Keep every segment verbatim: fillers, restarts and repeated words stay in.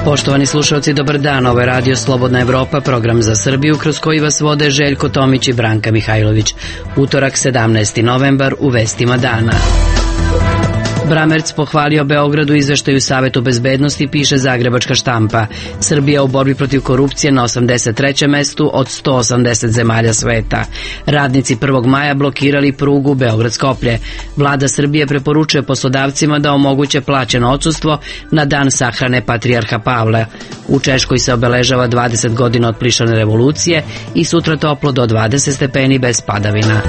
Poštovani slušalci, dobar dan. Ovo je Radio Slobodna Evropa, program za Srbiju, kroz koji vas vode Željko Tomić i Branka Mihajlović. Utorak, sedamnaesti novembar, u vestima dana. Bramerc pohvalio Beogradu izveštaju Savetu bezbednosti, piše Zagrebačka štampa. Srbija u borbi protiv korupcije na osamdeset trećem mestu od sto osamdeset zemalja sveta. Radnici prvog maja blokirali prugu Beograd-Skoplje. Vlada Srbije preporučuje poslodavcima da omoguće plaćeno odsustvo na dan sahrane Patrijarha Pavla. U Češkoj se obeležava dvadeset godina od plišane revolucije i sutra toplo do dvadeset stepeni bez padavina.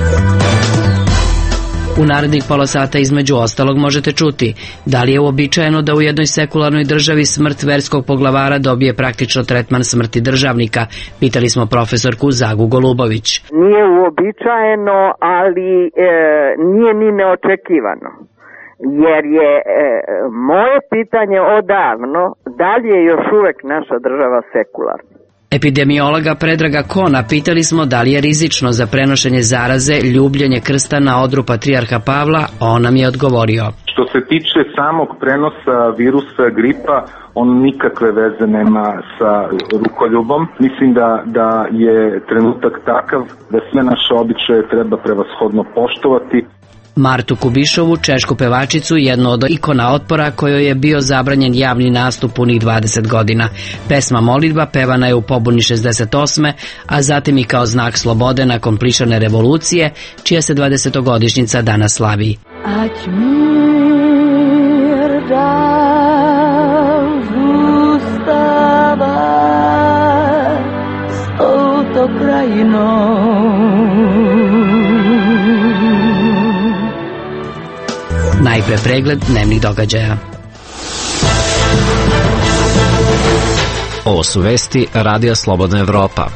U narednih pola sata između ostalog možete čuti da li je uobičajeno da u jednoj sekularnoj državi smrt verskog poglavara dobije praktično tretman smrti državnika. Pitali smo profesorku Zagu Golubović. Nije uobičajeno, ali e, nije ni neočekivano. Jer je e, moje pitanje odavno, da li je još uvek naša država sekularna? Epidemiologa Predraga Kona pitali smo da li je rizično za prenošenje zaraze ljubljenje krsta na odru Patrijarha Pavla, a on nam je odgovorio. Što se tiče samog prenosa virusa gripa, on nikakve veze nema sa rukoljubom. Mislim da, da je trenutak takav da sve naše običaje treba prevashodno poštovati. Martu Kubišovu, češku pevačicu, jednu od ikona otpora kojoj je bio zabranjen javni nastup punih dvadeset godina. Pesma Molitba pevana je u pobuni šezdeset osme, a zatim i kao znak slobode nakon plišane revolucije, čija se dvadesetogodišnjica danas slavi. Ać mir da zustava s touto krajinom. Najpre pregled dnevnih događaja. Ovo su vesti Radija Slobodna Evropa.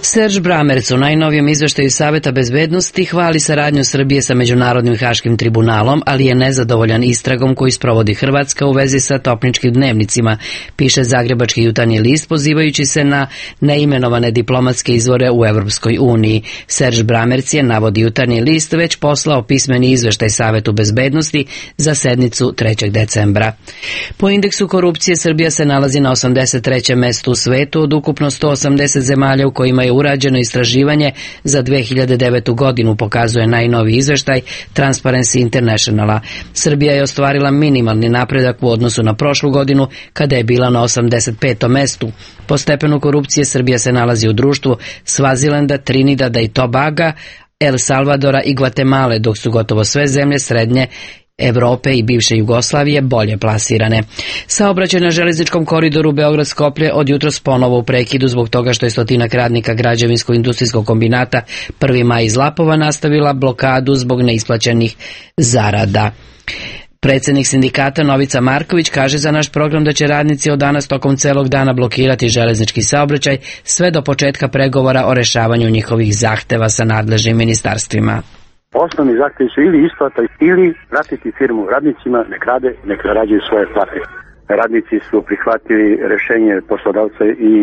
Serge Bramerc u najnovijem izveštaju Saveta bezbednosti hvali saradnju Srbije sa Međunarodnim haškim tribunalom, ali je nezadovoljan istragom koju sprovodi Hrvatska u vezi sa topničkim dnevnicima, piše Zagrebački jutarnji list pozivajući se na neimenovane diplomatske izvore u Evropskoj uniji. Serge Bramerc je, navodi jutarnji list, već poslao pismeni izveštaj Savetu bezbednosti za sednicu trećeg decembra. Po indeksu korupcije Srbija se nalazi na osamdeset trećem mestu u svetu od ukupno sto osamdeset zemalja u kojima je urađeno istraživanje za dve hiljade devetu godinu, pokazuje najnoviji izveštaj Transparency Internationala. Srbija je ostvarila minimalni napredak u odnosu na prošlu godinu, kada je bila na osamdeset petom mestu. Po stepenu korupcije Srbija se nalazi u društvu Svazilanda, Trinidada i Tobaga, El Salvadora i Gvatemale, dok su gotovo sve zemlje srednje Evrope i bivše Jugoslavije bolje plasirane. Saobraćaj na železničkom koridoru Beograd-Skoplje od jutros ponovo u prekidu zbog toga što je stotinak radnika građevinsko-industrijskog kombinata prvi maj iz Lapova nastavila blokadu zbog neisplaćenih zarada. Predsjednik sindikata Novica Marković kaže za naš program da će radnici od danas tokom celog dana blokirati železnički saobraćaj sve do početka pregovora o rešavanju njihovih zahteva sa nadležnim ministarstvima. Osnovni zahtjevi su ili isplata ili vratiti firmu radnicima, nek rade, nek zarađuju svoje plate. Radnici su prihvatili rješenje poslodavca i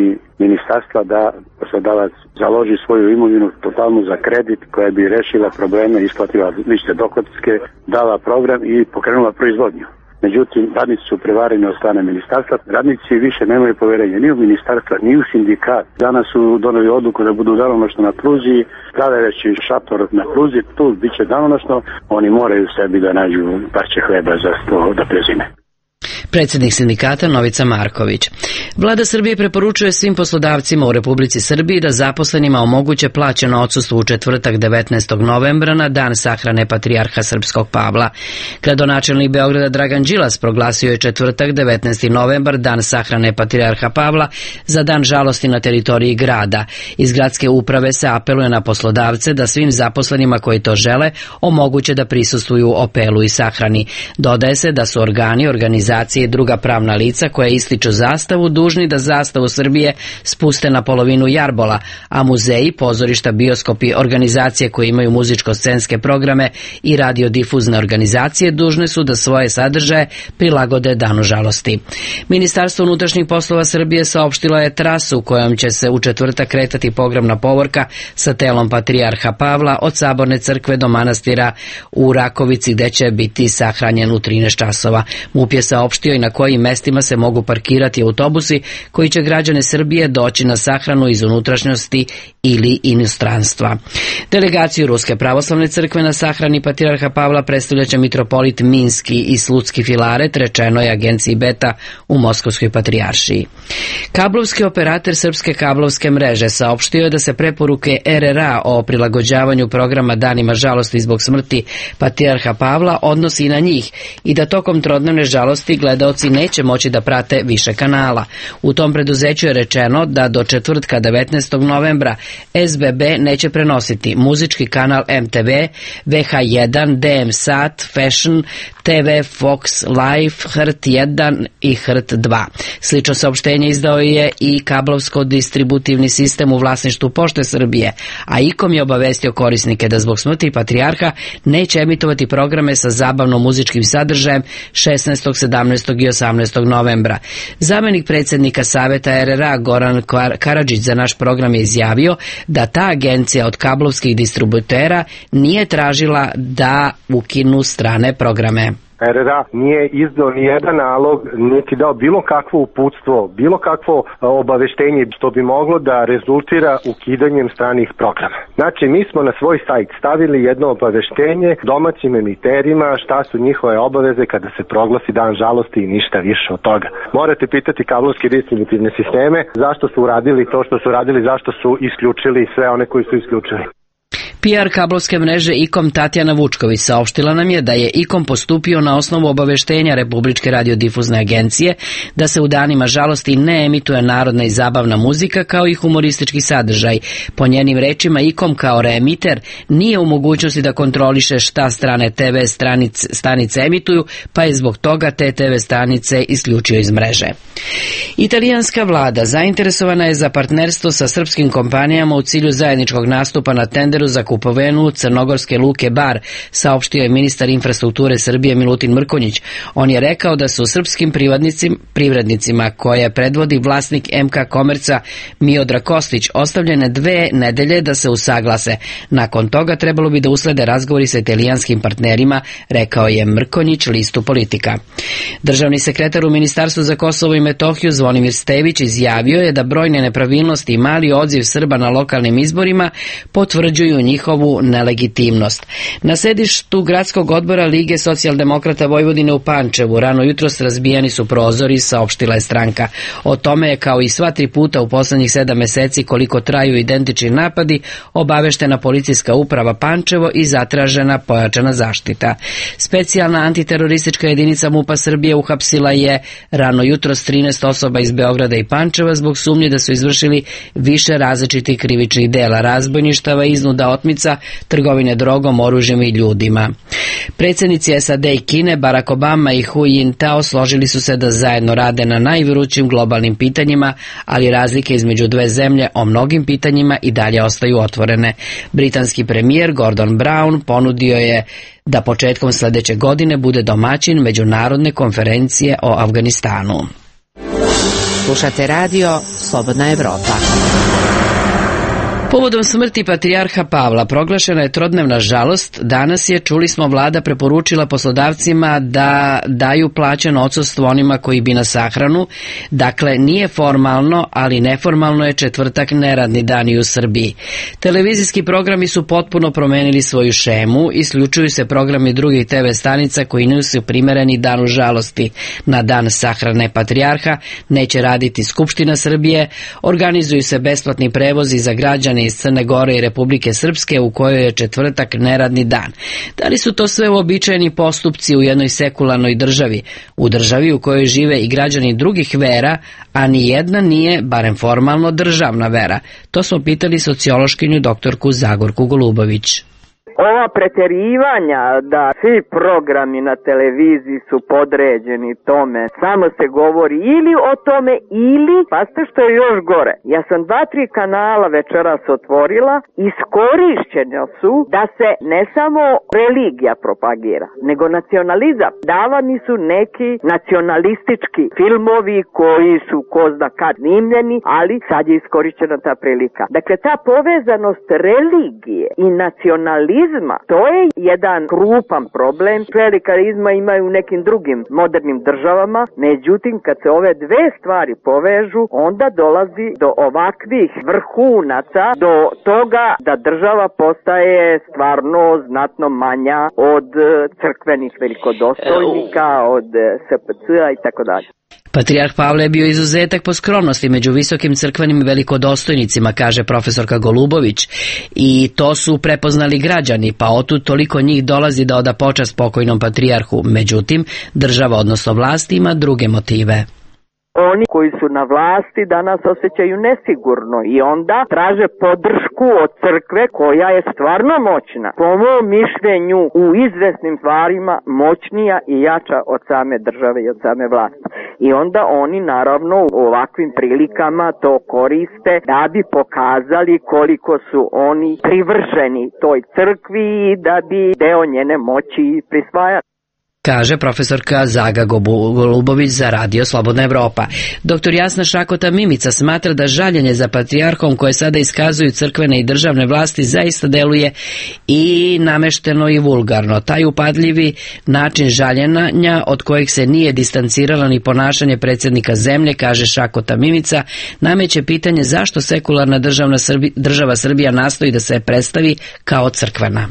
ministarstva da poslodavac založi svoju imovinu totalno za kredit koja bi rešila probleme, isplatila lične dohotke, dala program i pokrenula proizvodnju. Međutim, radnici su prevareni od strane ministarstva. Radnici više nemaju poverenja ni u ministarstva, ni u sindikat. Danas su doneli odluku da budu danonoćno na pruzi, stavljajući šator na pruzi, tu bit će danonoćno, oni moraju sebi da nađu parče hleba za sto da prezime. Predsjednik sindikata Novica Marković. Vlada Srbije preporučuje svim poslodavcima u Republici Srbiji da zaposlenima omoguće plaćeno odsustvo u četvrtak devetnaestog novembra na dan sahrane Patrijarha Srpskog Pavla. Gradonačelnik Beograda Dragan Đilas proglasio je četvrtak devetnaesti novembar dan sahrane Patrijarha Pavla za dan žalosti na teritoriji grada. Iz gradske uprave se apeluje na poslodavce da svim zaposlenima koji to žele omoguće da prisustvuju opelu i sahrani. Dodaje se da su organi, organizacije i druga pravna lica koja ističu zastavu dužni da zastavu Srbije spuste na polovinu jarbola, a muzeji, pozorišta, bioskopi, organizacije koje imaju muzičko-scenske programe i radiodifuzne organizacije dužne su da svoje sadržaje prilagode Danu žalosti. Ministarstvo unutrašnjih poslova Srbije saopštilo je trasu kojom će se u četvrtak kretati pogrebna povorka sa telom patrijarha Pavla od Saborne crkve do manastira u Rakovici, gde će biti sahranjen u trinaest časova. MUP je saopštio i na kojim mestima se mogu parkirati autobusi koji će građane Srbije doći na sahranu iz unutrašnjosti ili inostranstva. Delegaciju Ruske pravoslavne crkve na sahrani patrijarha Pavla predstavljaće mitropolit Minski i Slutski Filaret, rečeno je agenciji Beta u Moskovskoj patrijaršiji. Kablovski operator Srpske kablovske mreže saopštio je da se preporuke R R A o prilagođavanju programa Danima žalosti zbog smrti patrijarha Pavla odnosi i na njih i da tokom trodnevne žalosti gledaoci neće moći da prate više kanala. U tom preduzeću je rečeno da do četvrtka devetnaestog novembra S B B neće prenositi muzički kanal M T V, V H jedan, D M Sat, Fashion, T V, Fox Life, H R T jedan i H R T dva. Slično saopštenje izdao je i kablovsko-distributivni sistem u vlasništvu Pošte Srbije, a I K O M je obavestio korisnike da zbog smrti patrijarha neće emitovati programe sa zabavno-muzičkim sadržajem šesnaestog, sedamnaestog i osamnaestog novembra. Zamenik predsjednika Saveta R R A Goran Karadžić za naš program je izjavio da ta agencija od kablovskih distributera nije tražila da ukinu strane programe. R R A nije izdao ni jedan nalog, niti dao bilo kakvo uputstvo, bilo kakvo obaveštenje što bi moglo da rezultira ukidanjem stranih programa. Znači, mi smo na svoj sajt stavili jedno obaveštenje domaćim emiterima šta su njihove obaveze kada se proglasi dan žalosti i ništa više od toga. Morate pitati kablovske distributivne sisteme zašto su uradili to što su uradili, zašto su isključili sve one koji su isključili. P R kablovske mreže I K O M Tatjana Vučković saopštila nam je da je I K O M postupio na osnovu obaveštenja Republičke radiodifuzne agencije da se u danima žalosti ne emituje narodna i zabavna muzika kao i humoristički sadržaj. Po njenim rečima I K O M kao reemiter nije u mogućnosti da kontroliše šta strane T V stranice, stanice emituju, pa je zbog toga te T V stanice isključio iz mreže. Italijanska vlada zainteresovana je za partnerstvo sa srpskim kompanijama u cilju zajedničkog nastupa na tenderu za kupovinu crnogorske luke Bar, saopštio je ministar infrastrukture Srbije Milutin Mrkonjić. On je rekao da su srpskim privrednicima koje predvodi vlasnik M K Komerca Miodra Kostić ostavljene dve nedelje da se usaglase. Nakon toga trebalo bi da uslede razgovori sa italijanskim partnerima, rekao je Mrkonjić listu Politika. Državni sekretar u Ministarstvu za Kosovo i Metohiju Zvonimir Stević izjavio je da brojne nepravilnosti i mali odziv Srba na lokalnim izborima potvrđuju njihovu nelegitimnost. Na sedištu gradskog odbora Lige socijaldemokrata Vojvodine u Pančevu rano jutros razbijeni su prozori, saopštila je stranka. O tome je kao i sva tri puta u poslednjih sedam meseci koliko traju identični napadi obaveštena policijska uprava Pančevo i zatražena pojačana zaštita. Specijalna antiteroristička jedinica MUP-a Srbije uhapsila je rano jutros trinaest osoba iz Beograda i Pančeva zbog sumnje da su izvršili više različitih krivičnih dela, razbojništava, iznuda, otmica, trgovine drogom, oružjem i ljudima. Predsjednici S A D i Kine, Barack Obama i Hu Jintao složili su se da zajedno rade na najvrućim globalnim pitanjima, ali razlike između dve zemlje o mnogim pitanjima i dalje ostaju otvorene. Britanski premijer Gordon Brown ponudio je da početkom sljedeće godine bude domaćin međunarodne konferencije o Afganistanu. Slušate radio Slobodna Evropa. Povodom smrti patrijarha Pavla proglašena je trodnevna žalost. Danas je, čuli smo, vlada preporučila poslodavcima da daju plaćeno odsustvo onima koji bi na sahranu. Dakle, nije formalno, ali neformalno je četvrtak neradni dan i u Srbiji. Televizijski programi su potpuno promenili svoju šemu, isključuju se programi drugih T V stanica koji nisu primereni danu žalosti. Na dan sahrane patrijarha neće raditi Skupština Srbije, organizuju se besplatni prevozi za građane iz Crne Gore i Republike Srpske u kojoj je četvrtak neradni dan. Da li su to sve uobičajeni postupci u jednoj sekularnoj državi, u državi u kojoj žive i građani drugih vera, a ni jedna nije, barem formalno, državna vera? To smo pitali sociološkinju doktorku Zagorku Golubović. Ova preterivanja da svi programi na televiziji su podređeni tome, samo se govori ili o tome ili, pa ste što je još gore. Ja sam dva, tri kanala večeras otvorila, iskorišćene su da se ne samo religija propagira, nego nacionalizam. Davani su neki nacionalistički filmovi koji su ko zna kad snimljeni, ali sad je iskorišćena ta prilika. Dakle, ta povezanost religije i nacionalizma, to je jedan krupan problem. Klerikalizma imaju u nekim drugim modernim državama, međutim, kad se ove dve stvari povežu, onda dolazi do ovakvih vrhunaca, do toga da država postaje stvarno znatno manja od crkvenih velikodostojnika, od S P C-a i tako dalje. Patrijarh Pavle je bio izuzetak po skromnosti među visokim crkvenim velikodostojnicima, kaže profesorka Golubović, i to su prepoznali građani, pa otud toliko njih dolazi da oda počast pokojnom patrijarhu. Međutim, država, odnosno vlast, ima druge motive. Oni koji su na vlasti danas osjećaju nesigurno i onda traže podršku od crkve koja je stvarno moćna. Po mom mišljenju u izvesnim stvarima moćnija i jača od same države i od same vlasti. I onda oni naravno u ovakvim prilikama to koriste da bi pokazali koliko su oni privrženi toj crkvi i da bi deo njene moći prisvajali, kaže profesorka Zaga Golubović za Radio Slobodna Evropa. Doktor Jasna Šakota Mimica smatra da žaljenje za patrijarhom koje sada iskazuju crkvene i državne vlasti zaista deluje i namešteno i vulgarno. Taj upadljivi način žaljenja od kojeg se nije distanciralo ni ponašanje predsjednika zemlje, kaže Šakota Mimica, nameće pitanje zašto sekularna državna Srbi, država Srbija nastoji da se predstavi kao crkvena.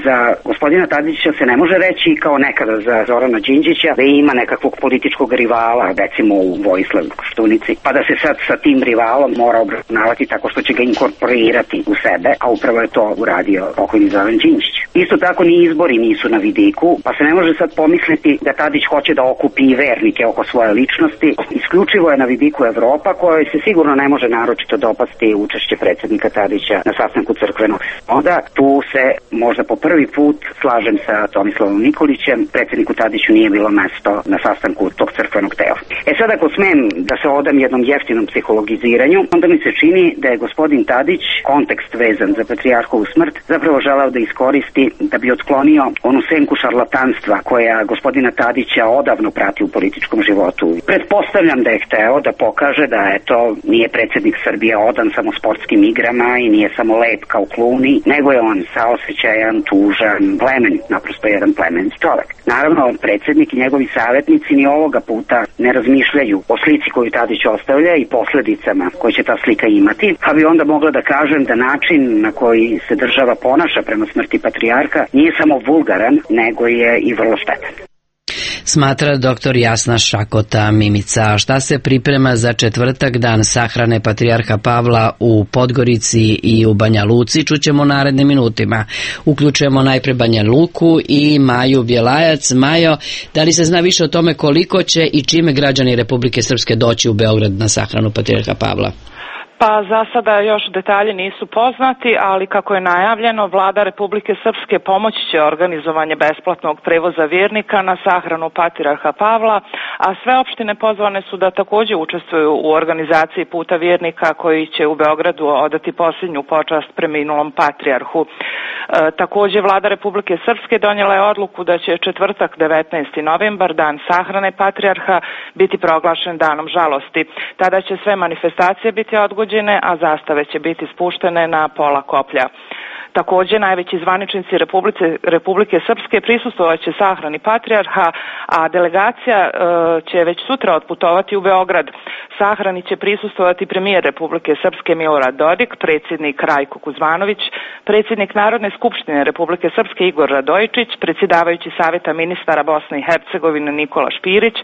Za gospodina Tadića se ne može reći kao nekada za Zorana Đinđića da ima nekakvog političkog rivala, recimo u Vojislav Koštunici, pa da se sad sa tim rivalom mora obračunavati tako što će ga inkorporirati u sebe, a upravo je to uradio pokojni Zoran Đinđić. Isto tako ni izbori nisu na vidiku, pa se ne može sad pomisliti da Tadić hoće da okupi i vernike oko svoje ličnosti. Isključivo je na vidiku Evropa, kojoj se sigurno ne može naročito dopasti učešće predsjednika Tadića na sastanku crkvenog sinoda. Tu se možda po prvi put slažem sa Tomislavom Nikolićem, predsjedniku Tadiću nije bilo mesto na sastanku tog crkvenog tela. E sad ako smem da se odam jednom jeftinom psihologiziranju, onda mi se čini da je gospodin Tadić, kontekst vezan za patrijarhovu smrt, zapravo želeo da iskoristi da bi otklonio onu senku šarlatanstva koja gospodina Tadića odavno prati u političkom životu. Pretpostavljam da je hteo da pokaže da eto nije predsjednik Srbije odan samo sportskim igrama i nije samo lep kao Kluni, nego je on saosećajan, tužan, plemenit, naprosto jedan plemenit čovek. Naravno, predsjednik i njegovi savjetnici ni ovoga puta ne razmišljaju o slici koju Tadić ostavlja i posledicama koje će ta slika imati, pa bi onda mogla da kažem da način na koji se država ponaša prema smrti patrijarha nije samo vulgaran, nego je i vrlo štetan. Smatra doktor Jasna Šakota Mimica. Šta se priprema za četvrtak, dan sahrane patrijarha Pavla u Podgorici i u Banja Luci, čućemo narednim minutima. Uključujemo najpre Banja Luku i Maju Bjelajac. Majo, da li se zna više o tome koliko će i čime građani Republike Srpske doći u Beograd na sahranu patrijarha Pavla? Pa za sada još detalji nisu poznati, ali kako je najavljeno, Vlada Republike Srpske pomoći će organizovanje besplatnog prevoza vjernika na sahranu patrijarha Pavla, a sve opštine pozvane su da također učestvuju u organizaciji puta vjernika koji će u Beogradu odati posljednju počast preminulom patrijarhu. E, također Vlada Republike Srpske donijela je odluku da će četvrtak devetnaesti novembar, dan sahrane patrijarha, biti proglašen danom žalosti. Tada će sve manifestacije biti odgođene, a zastave će biti spuštene na pola koplja. Također, najveći zvaničnici Republike, Republike Srpske prisustvovat će sahrani patrijarha, a delegacija e, će već sutra otputovati u Beograd. Sahrani će prisustvovati premijer Republike Srpske Milorad Dodik, predsjednik Rajko Kuzmanović, predsjednik Narodne skupštine Republike Srpske Igor Radojičić, predsjedavajući Savjeta ministara Bosne i Hercegovine Nikola Špirić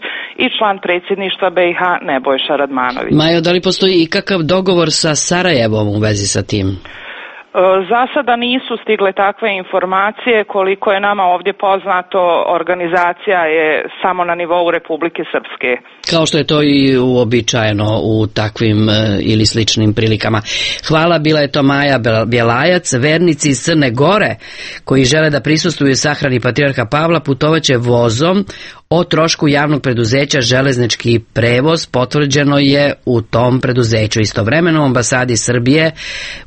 i član predsjedništva B i H Nebojša Radmanović. Majo, da li postoji ikakav dogovor sa Sarajevom u vezi sa tim? Za sada nisu stigle takve informacije, koliko je nama ovdje poznato, organizacija je samo na nivou Republike Srpske. Kao što je to i uobičajeno u takvim e, ili sličnim prilikama. Hvala, bila je to Maja Bjelajac. Vernici iz Crne Gore koji žele da prisustvuju sahrani Patrijarha Pavla putovaće vozom o trošku javnog preduzeća Železnički prevoz, potvrđeno je u tom preduzeću. Istovremeno u ambasadi Srbije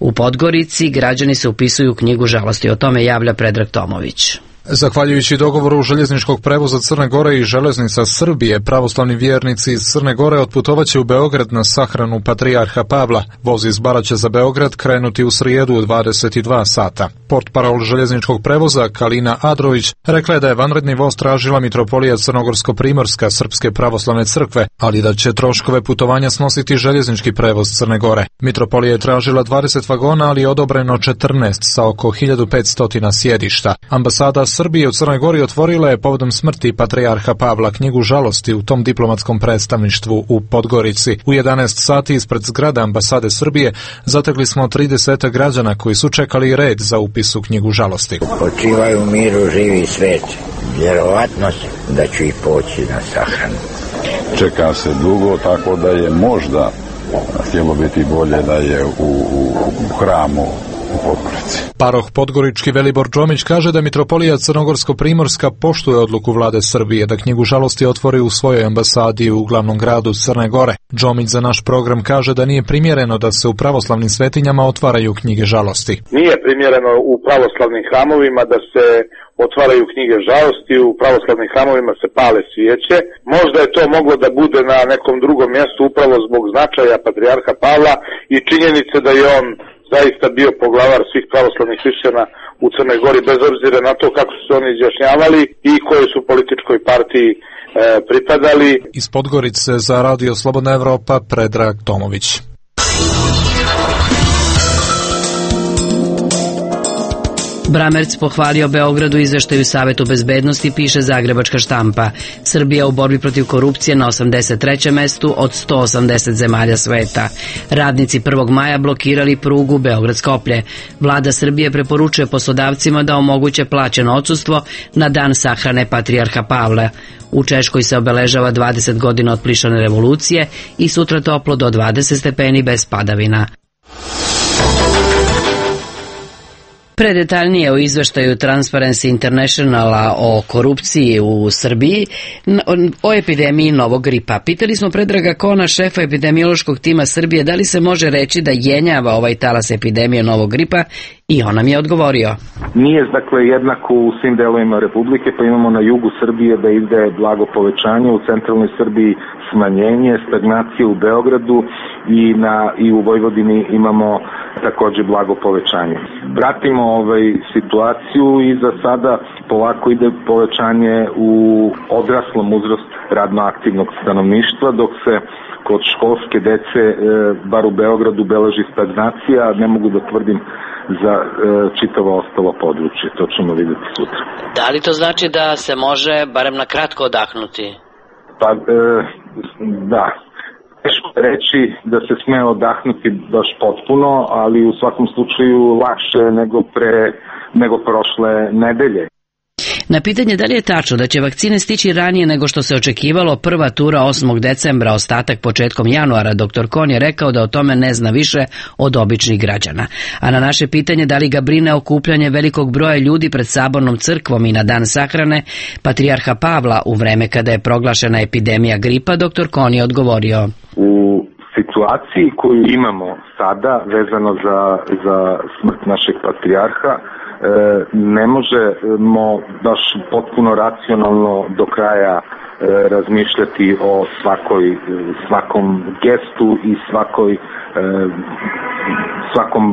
u Podgorici građani se upisuju u knjigu žalosti. O tome javlja Predrag Tomović. Zahvaljujući dogovoru željezničkog prevoza Crne Gore i Železnica Srbije, pravoslavni vjernici iz Crne Gore otputovaće u Beograd na sahranu Patrijarha Pavla. Voz iz Bara će za Beograd krenuti u srijedu u dvadeset dva sata. Portparol željezničkog prevoza Kalina Adrović rekla je da je vanredni voz tražila Mitropolija Crnogorsko-Primorska Srpske pravoslavne crkve, ali da će troškove putovanja snositi željeznički prevoz Crne Gore. Mitropolija je tražila dvadeset vagona, ali je odobreno četrnaest sa oko hiljadu petsto sjedišta. Ambasada Srbije u Crnoj Gori otvorila je povodom smrti Patrijarha Pavla knjigu žalosti u tom diplomatskom predstavništvu u Podgorici. U jedanaest sati ispred zgrade ambasade Srbije zatekli smo trideset građana koji su čekali red za upis u knjigu žalosti. Počivaju u miru živi svet. Vjerovatno da ću i poći na sahranu. Čeka se dugo, tako da je možda htjelo biti bolje da je u, u, u hramu u Podgorici. Paroh podgorički Velibor Džomić kaže da Mitropolija Crnogorsko-Primorska poštuje odluku vlade Srbije da knjigu žalosti otvori u svojoj ambasadi u glavnom gradu Crne Gore. Džomić za naš program kaže da nije primjereno da se u pravoslavnim svetinjama otvaraju knjige žalosti. Nije primjereno u pravoslavnim hramovima da se otvaraju knjige žalosti, u pravoslavnim hramovima se pale svijeće. Možda je to moglo da bude na nekom drugom mjestu upravo zbog značaja Patrijarha Pavla i činjenice da je on zaista bio poglavar svih pravoslavnih hrišćana u Crnoj Gori, bez obzira na to kako su se oni izjašnjavali i kojoj su političkoj partiji e, pripadali. Iz Podgorice za Radio Slobodna Evropa Predrag Tomović. Bramerc pohvalio Beogradu izveštaju Savetu bezbednosti, piše Zagrebačka štampa. Srbija u borbi protiv korupcije na osamdeset trećem mestu od sto osamdeset zemalja sveta. Radnici prvog maja blokirali prugu Beograd-Skoplje. Vlada Srbije preporučuje poslodavcima da omoguće plaćeno odsustvo na dan sahrane Patrijarha Pavla. U Češkoj se obeležava dvadeset godina od plišane revolucije i sutra toplo do dvadeset stepeni bez padavina. Predetaljnije o izveštaju Transparency Internationala o korupciji u Srbiji, o epidemiji novog gripa. Pitali smo Predraga Kona, šefa epidemiološkog tima Srbije, da li se može reći da jenjava ovaj talas epidemije novog gripa, i on nam je odgovorio. Nije dakle jednako u svim delovima Republike, pa imamo na jugu Srbije da ide blago povećanje, u centralnoj Srbiji smanjenje, stagnacije u Beogradu i, na, i u Vojvodini imamo takođe blago povećanje. Pratimo ovaj situaciju i za sada polako ide povećanje u odraslom uzrastu radno aktivnog stanovništva, dok se kod školske dece, bar u Beogradu, beleži stagnacija, ne mogu da tvrdim za e, čitavo ostalo područje. To ćemo vidjeti sutra. Da li to znači da se može barem na kratko odahnuti? Pa, e, da. Teško reći da se sme odahnuti baš potpuno, ali u svakom slučaju lakše nego pre nego prošle nedelje. Na pitanje da li je tačno da će vakcine stići ranije nego što se očekivalo, prva tura osmog decembra, ostatak početkom januara, doktor Kon je rekao da o tome ne zna više od običnih građana. A na naše pitanje da li ga brine okupljanje velikog broja ljudi pred Sabornom crkvom i na dan sahrane Patrijarha Pavla u vreme kada je proglašena epidemija gripa, doktor Kon je odgovorio. U situaciji koju imamo sada vezano za, za smrt našeg patrijarha, ne možemo baš potpuno racionalno do kraja razmišljati o svakoj, svakom gestu i svakoj, svakom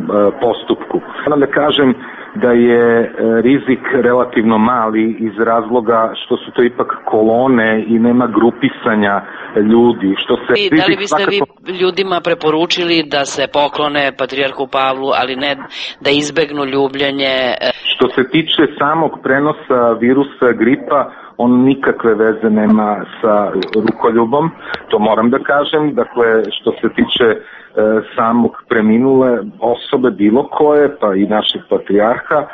postupku. Moram da kažem da je rizik relativno mali iz razloga što su to ipak kolone i nema grupisanja ljudi. Što se I, da li biste svakako... vi ljudima preporučili da se poklone Patrijarhu Pavlu, ali ne da izbegnu ljubljenje? Što se tiče samog prenosa virusa gripa, on nikakve veze nema sa rukoljubom, to moram da kažem. Dakle, što se tiče e, samog preminule osobe bilo koje, pa i naših patrijarha, e,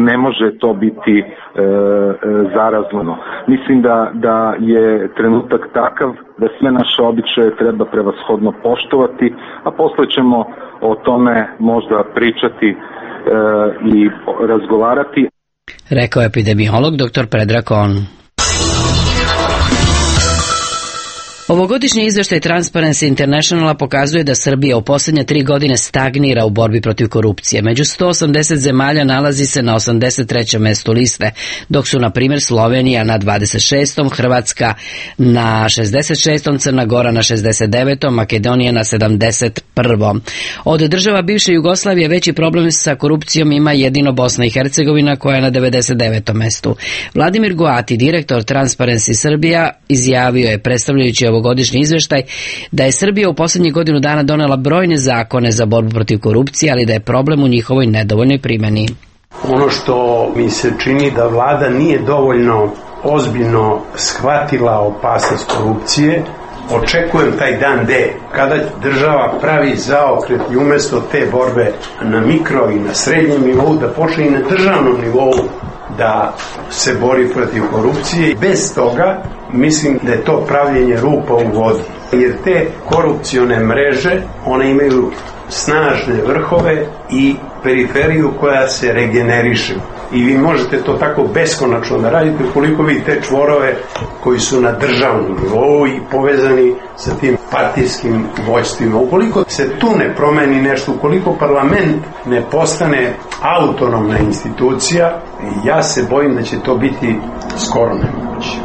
ne može to biti e, e, zarazleno. Mislim da, da je trenutak takav da sve naše običaje treba prevashodno poštovati, a posle ćemo o tome možda pričati e, i razgovarati. Rekao je epidemiolog doktor Predrag On. Ovogodišnji izveštaj Transparency Internationala pokazuje da Srbija u posljednje tri godine stagnira u borbi protiv korupcije. Među sto osamdeset zemalja nalazi se na osamdeset trećem mestu liste, dok su, na primjer, Slovenija na dvadeset šestom, Hrvatska na šezdeset šestom, Crna Gora na šezdeset devetom, Makedonija na sedamdeset prvom. Od država bivše Jugoslavije veći problem sa korupcijom ima jedino Bosna i Hercegovina, koja je na devedeset devetom mestu. Vladimir Goati, direktor Transparency Srbija, izjavio je, predstavljajući ovogodišnji izveštaj, da je Srbija u posljednjih godinu dana donela brojne zakone za borbu protiv korupcije, ali da je problem u njihovoj nedovoljnoj primjeni. Ono što mi se čini da vlada nije dovoljno ozbiljno shvatila opasnost korupcije, očekujem taj dan D, kada država pravi zaokret i umjesto te borbe na mikro i na srednjem nivou, da počne i na državnom nivou da se bori protiv korupcije. Bez toga mislim da je to pravljenje rupa u vodi. Jer te korupcione mreže, one imaju snažne vrhove i periferiju koja se regeneriše. I vi možete to tako beskonačno da radite ukoliko vi te čvorove koji su na državnom nivou i povezani sa tim partijskim vođstvima. Ukoliko se tu ne promeni nešto, ukoliko parlament ne postane autonomna institucija, ja se bojim da će to biti skoro nemoguće.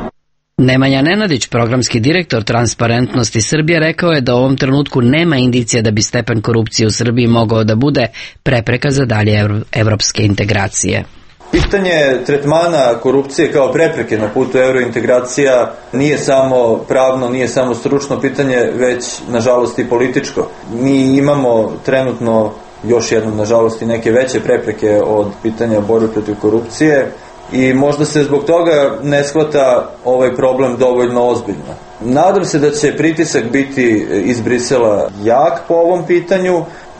Nemanja Nenadić, programski direktor Transparentnosti Srbije, rekao je da u ovom trenutku nema indicija da bi stepen korupcije u Srbiji mogao da bude prepreka za dalje evropske integracije. Pitanje tretmana korupcije kao prepreke na putu eurointegracija nije samo pravno, nije samo stručno pitanje, već nažalost i političko. Mi imamo trenutno još jednom nažalost i neke veće prepreke od pitanja borbe protiv korupcije i možda se zbog toga ne shvata ovaj problem dovoljno ozbiljno. Nadam se da će pritisak biti iz Brisela jak po ovom pitanju.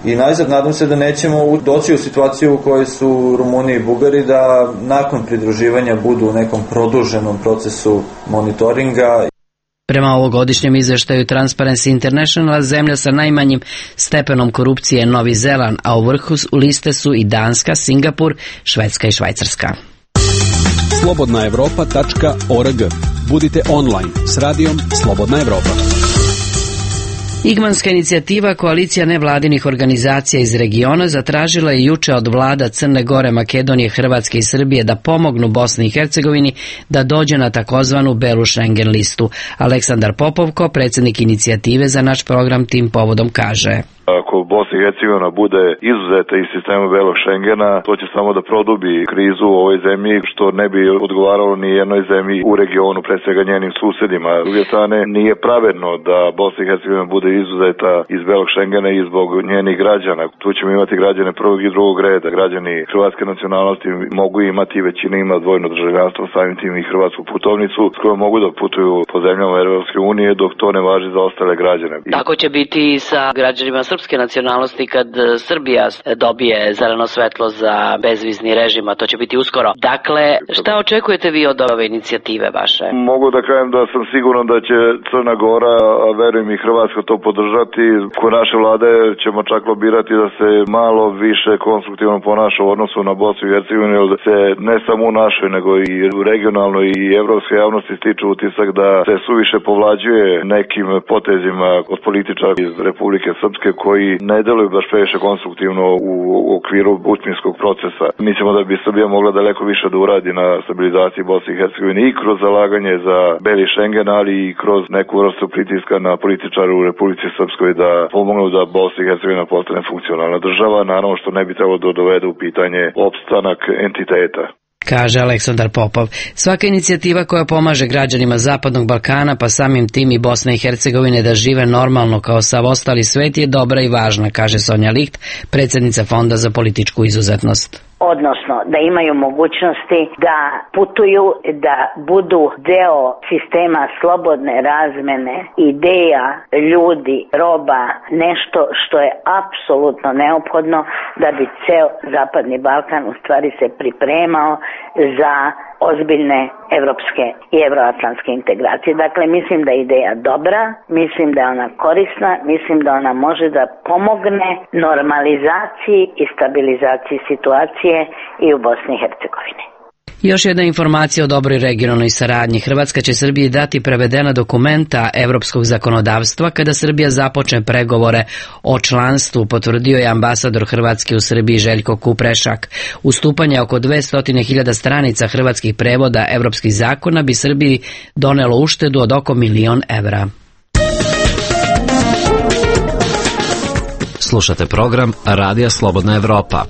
I najzad nadam se da nećemo doći u situaciju u kojoj su Rumuni i Bugari da nakon pridruživanja budu u nekom produženom procesu monitoringa. Prema ovogodišnjem izveštaju Transparency International, zemlja sa najmanjim stepenom korupcije je Novi Zeland, a u vrhu liste su i Danska, Singapur, Švedska i Švajcarska. slobodna evropa tačka org. Budite online s radijom Slobodna Evropa. Igmanska inicijativa, koalicija nevladinih organizacija iz regiona, zatražila je juče od vlada Crne Gore, Makedonije, Hrvatske i Srbije da pomognu Bosni i Hercegovini da dođe na takozvanu belu Schengen listu. Aleksandar Popovko, predsjednik inicijative za naš program, tim povodom kaže: Ako Bosna i Hercegovina bude izuzeta iz sistema belog Schengena, to će samo da produbi krizu u ovoj zemlji, što ne bi odgovaralo ni jednoj zemlji u regionu, pre svega njenim susedima. S druge strane, nije pravedno da Bosna i Hercegovina bude izuzeta iz belog Schengena i zbog njenih građana. Tu ćemo imati građane prvog i drugog reda. Građani hrvatske nacionalnosti mogu imati, većina ima dvojno državljanstvo, samim tim i hrvatsku putovnicu s kojom mogu da putuju po zemljama Evropske unije, dok to ne važi za ostale građane. Tako će biti i sa građanima srpske nacionalnosti kad Srbija dobije zeleno svetlo za bezvizni režim, a to će biti uskoro. Dakle, šta očekujete vi od ove inicijative vaše? Mogu da kažem da sam siguran da će Crna Gora, a verujem i Hrvatska, to podržati. Kod naše vlade ćemo čak lobirati da se malo više konstruktivno ponaša u odnosu na Bosnu i Hercegovinu, jer se ne samo u našoj, nego i regionalnoj i evropskoj javnosti stiče utisak da se suviše povlađuje nekim potezima od političara iz Republike Srpske koji ne deluju baš previše konstruktivno u okviru bučminskog procesa. Mislimo da bi Srbija mogla daleko više da uradi na stabilizaciji Bosne i Hercegovine i kroz zalaganje za beli Schengen, ali i kroz neku vrstu pritiska na političare u Republici Srpskoj da pomognu da Bosna i Hercegovina postane funkcionalna država, naravno što ne bi trebalo da dovede u pitanje opstanak entiteta. Kaže Aleksandar Popov. Svaka inicijativa koja pomaže građanima Zapadnog Balkana, pa samim tim i Bosne i Hercegovine, da žive normalno kao sav ostali svet je dobra i važna, kaže Sonja Licht, predsjednica Fonda za političku izuzetnost. odnosno da imaju mogućnosti da putuju, da budu deo sistema slobodne razmene ideja, ljudi, roba, nešto što je apsolutno neophodno da bi ceo Zapadni Balkan u stvari se pripremao za ozbiljne evropske i evroatlantske integracije. Dakle, mislim da je ideja dobra, mislim da je ona korisna, mislim da ona može da pomogne normalizaciji i stabilizaciji situacije i u Bosni i Hercegovini. Još jedna informacija o dobroj regionalnoj saradnji. Hrvatska će Srbiji dati prevedena dokumenta evropskog zakonodavstva kada Srbija započne pregovore o članstvu, potvrdio je ambasador Hrvatske u Srbiji Željko Kuprešak. Ustupanje oko dvesta hiljada stranica hrvatskih prevoda evropskih zakona bi Srbiji donelo uštedu od oko milion evra. Slušate program Radija Slobodna Evropa.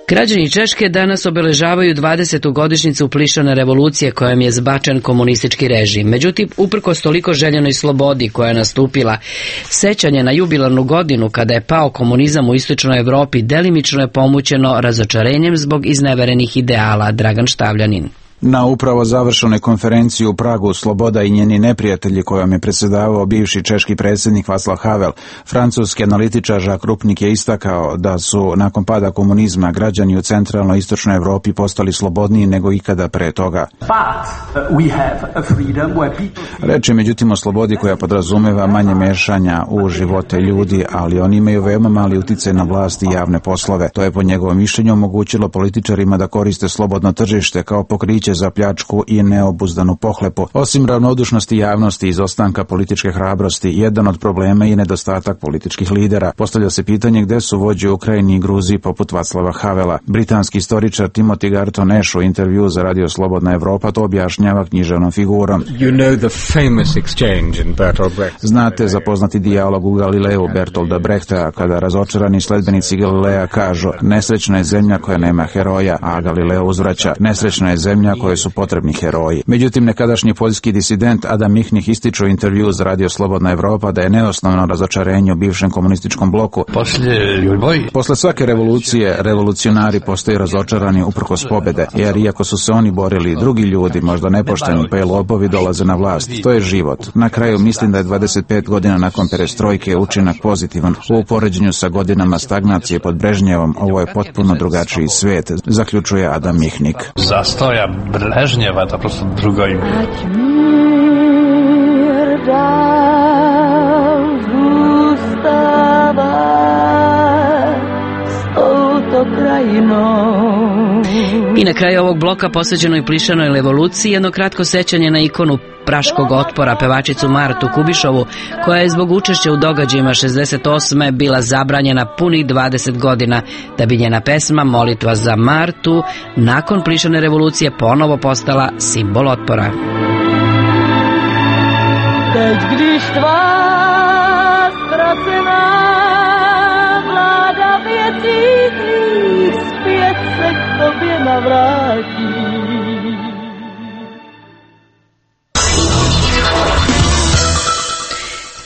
Građani Češke danas obeležavaju dvadesetu godišnjicu plišane revolucije kojom je zbačen komunistički režim. Međutim, uprkos toliko željenoj slobodi koja je nastupila, sećanje na jubilarnu godinu kada je pao komunizam u istočnoj Evropi delimično je pomućeno razočarenjem zbog izneverenih ideala. Dragan Štavljanin. Na upravo završenoj konferenciji u Pragu Sloboda i njeni neprijatelji kojom je predsjedavao bivši češki predsjednik Václav Havel, francuski analitičar Jacques Rupnik je istakao da su nakon pada komunizma građani u centralnoj istočnoj Evropi postali slobodniji nego ikada pre toga. Reč je međutim o slobodi koja podrazumeva manje mešanja u živote ljudi, ali oni imaju veoma mali uticaj na vlast i javne poslove. To je po njegovom mišljenju omogućilo političarima da koriste slobodno tržište kao pokriće za pljačku i neobuzdanu pohlepu. Osim ravnodušnosti javnosti i izostanka političke hrabrosti, jedan od problema je nedostatak političkih lidera. Postavlja se pitanje gde su vođe u Ukrajini i Gruziji poput Václava Havela. Britanski istoričar Timothy Garton Ash u intervju za Radio Slobodna Evropa to objašnjava književnom figurom. You know the famous exchange in Bertolt Brecht. Znate za poznati dijalog u Galileu Bertolda Brechta kada razočarani sledbenici Galileja kažu nesrećna je zemlja koja nema heroja, a Galileo uzvraća nesrećna je zemlja koje su potrebni heroji. Međutim, nekadašnji poljski disident Adam Michnik ističe u intervju za Radio Slobodna Evropa da je neosnovno razočarenje u bivšem komunističkom bloku. Posle svake revolucije, revolucionari postaju razočarani uprkos pobede, jer iako su se oni borili, drugi ljudi, možda nepošteni pa i lopovi, dolaze na vlast. To je život. Na kraju mislim da je dvadeset pet godina nakon perestrojke učinak pozitivan. U poređenju sa godinama stagnacije pod Brežnjevom, ovo je potpuno drugačiji svet, zaključuje Adam Michnik. Zastoja Brežnjeva, to prosto drugo ime. I na kraju ovog bloka posvećenoj plišanoj revoluciji jedno kratko sećanje na ikonu praškog otpora, pevačicu Martu Kubišovu, koja je zbog učešća u događajima šezdeset osme bila zabranjena punih dvadeset godina, da bi njena pesma Molitva za Martu nakon plišane revolucije ponovo postala simbol otpora. Teď, když tvá ztracená vláda věcí tvých zpět se k tobě navrátí.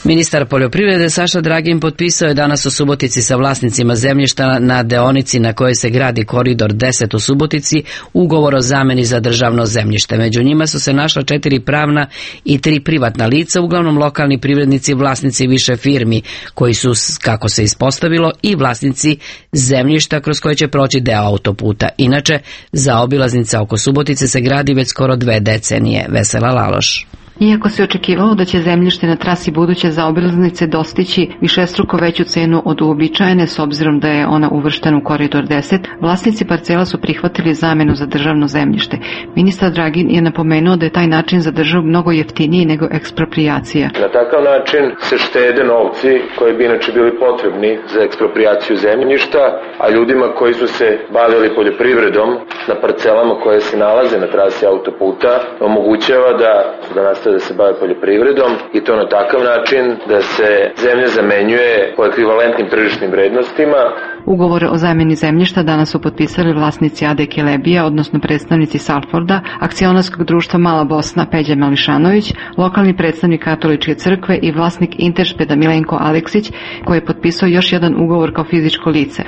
Ministar poljoprivrede Saša Dragin potpisao je danas u Subotici sa vlasnicima zemljišta na deonici na kojoj se gradi koridor deset u Subotici ugovor o zameni za državno zemljište. Među njima su se našla četiri pravna i tri privatna lica, uglavnom lokalni privrednici, vlasnici više firmi, koji su, kako se ispostavilo, i vlasnici zemljišta kroz koje će proći deo autoputa. Inače, zaobilaznica oko Subotice se gradi već skoro dve decenije. Vesela Laloš. Iako se očekivalo da će zemljište na trasi buduće zaobilaznice dostići višestruko veću cenu od uobičajene s obzirom da je ona uvrštena u koridor deset, vlasnici parcela su prihvatili zamenu za državno zemljište. Ministar Dragin je napomenuo da je taj način za državu mnogo jeftiniji nego eksproprijacija. Na takav način se štede novci koji bi inače bili potrebni za ekspropriaciju zemljišta, a ljudima koji su se bavili poljoprivredom na parcelama koje se nalaze na trasi autoputa omogućava da, da da se bave poljoprivredom i to na takav način da se zemlja zamenjuje po ekvivalentnim tržišnim vrednostima. Ugovore o zamjeni zemljišta danas su potpisali vlasnici A D Kelebija, odnosno predstavnici Salforda, akcionarskog društva Mala Bosna Peđa Mališanović, lokalni predstavnik Katoličke crkve i vlasnik Interšpeda Milenko Aleksić, koji je potpisao još jedan ugovor kao fizičko lice.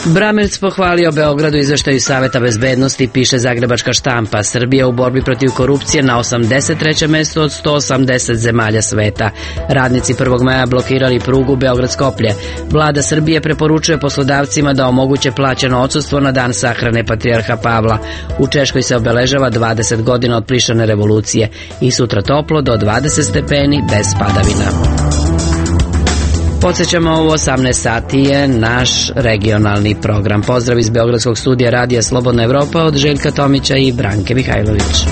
Bramerc pohvalio Beogradu izveštaju Saveta bezbednosti, piše Zagrebačka štampa. Srbija u borbi protiv korupcije na osamdeset trećem mestu od sto osamdeset zemalja sveta. Radnici prvog maja blokirali prugu Beograd-Skoplje. Vlada Srbije preporučuje poslodavcima da omoguće plaćeno odsustvo na dan sahrane Patrijarha Pavla. U Češkoj se obeležava dvadeset godina od plišane revolucije i sutra toplo do dvadeset stepeni bez padavina. Podsjećamo, u osamnaest sati je naš regionalni program. Pozdrav iz Beogradskog studija Radija Slobodna Evropa od Željka Tomića i Branke Mihajlović.